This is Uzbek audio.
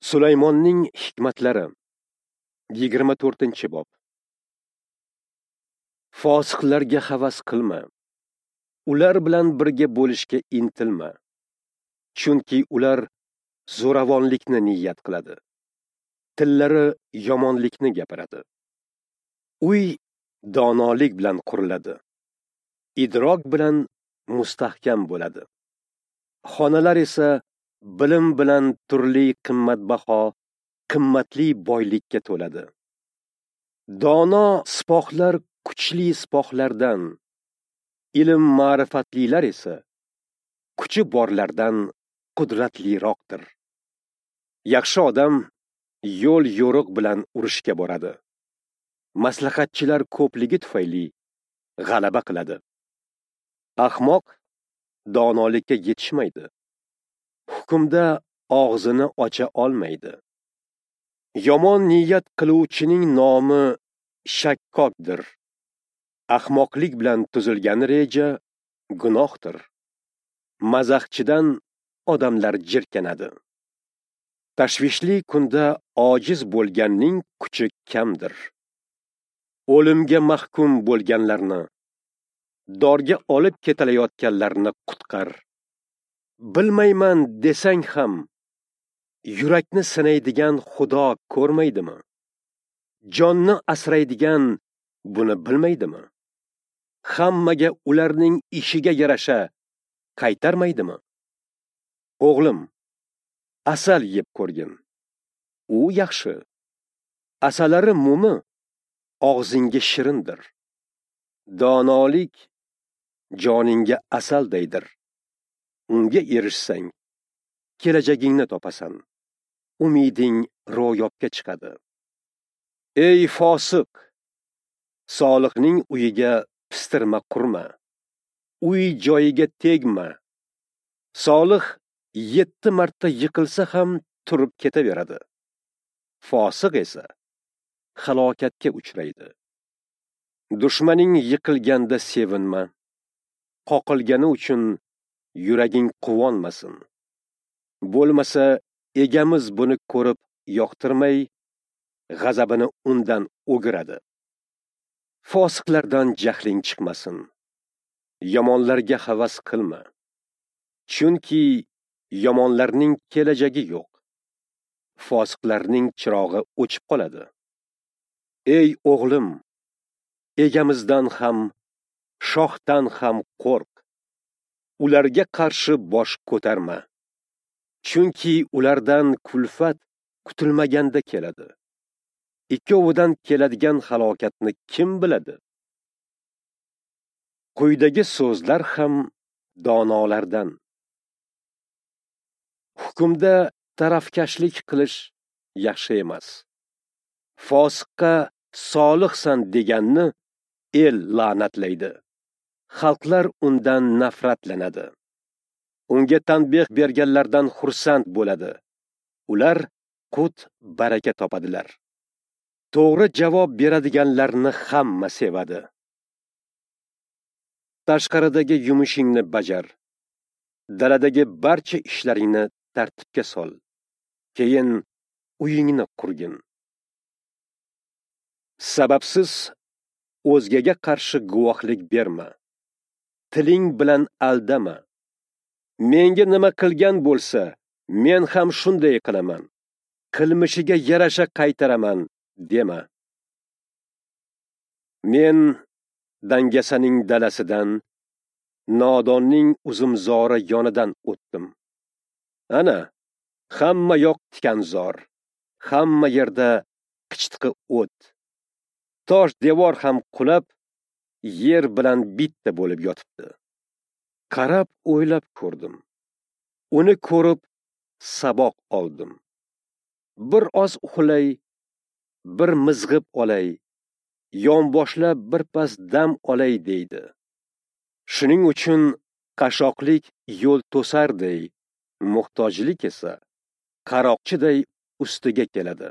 Sulaymonning hikmatlari 24-bob. Fosiqlarga havas qilma. Ular bilan birga bo'lishga intilma. Chunki ular zo'ravonlikni niyat qiladi. Tillari yomonlikni gapiradi. Uy donolik bilan quriladi. Idrok bilan mustahkam bo'ladi. Xonalar esa bilim bilan turli qimmatbaho, qimmatli boylikka to'ladi. Dono sipohlar kuchli sipohlardan, ilm ma'rifatlilar esa kuchi borlardan qudratliroqdir. Yaxshi odam yo'l yo'riq bilan urushga boradi. Maslahatchilar ko'pligi tufayli g'alaba qiladi. Ahmoq donolikka yetishmaydi. Hukmda og'zini ocha olmaydi. Yomon niyat qiluvchining nomi shakkokdir. Ahmoqlik bilan tuzilgan reja gunohdir. Mazaxchidan odamlar jirkanadi. Tashvishli kunda ojiz bo'lganning kuchi kamdir. O'limga mahkum bo'lganlarni, dorga olib ketilayotganlarni qutqar. Bilmayman desang ham, yurakni sinaydigan Xudo ko'rmaydimi? Jonni asraydigan buni bilmaydimi? Hammaga ularning ishiga yarasha qaytarmaydimi? O'g'lim, asal yeb ko'rgin. U yaxshi. Asalari mumi og'zingga shirindir. Donolik joningga asaldaydir. Unga erishsang, kelajagingni topasan. Umiding ro'yobga chiqadi. Ey fosiq, solihning uyiga pistirma qurma. Uy joyiga tegma. Solih 7 marta yiqilsa ham turib ketaveradi. Fosiq esa halokatga uchraydi. Dushmaning yiqilganda sevinma. Qoqilgani uchun yuraging quvonmasin. Bo'lmasa egamiz buni ko'rib yoqtirmay, g'azabini undan o'giradi. Fosiqlardan jahling chiqmasin. Yomonlarga havas qilma. Chunki yomonlarning kelajagi yo'q. Fosiqlarning chirog'i o'chib qoladi. Ey o'g'lim, egamizdan ham, shohdan ham qo'rq. Ularga qarshi bosh ko'tarma. Chunki ulardan kulfat kutilmaganda keladi. Ikkovidan keladigan halokatni kim biladi? Quyidagi so'zlar ham donolardan. Hukmda tarafkashlik qilish yaxshi emas. Fosiqqa solihsan deganni el la'natlaydi. Xalqlar undan nafratlanadi. Unga tanbeh berganlardan xursand bo'ladi. Ular qut baraka topadilar. To'g'ri javob beradiganlarni hamma sevadi. Tashqaridagi yumushingni bajar. Daladagi barcha ishlaringni tartibga sol. Keyin uyingni qurgin. Sababsiz o'zgaga qarshi guvohlik berma. Tiling bilan aldama. Menga nima qilgan bo'lsa, men ham shunday qilaman. Qilmishiga yarasha qaytaraman dema. Men dangasaning dalasidan, nodonning uzumzori yonidan o'tdim. Ana, hamma yoq tikanzor, hamma yerda qichitqi o't. Tosh devor ham qulab, yer bilan bitta bo'lib yotibdi. Qarab o'ylab ko'rdim. Uni ko'rib saboq oldim. Bir oz uxlay, bir mizg'ib olay, yonboshlab bir pas dam olay deydi. Shuning uchun qashoqlik yo'l to'sarday, muhtojlik esa qaroqchiday ustiga keladi.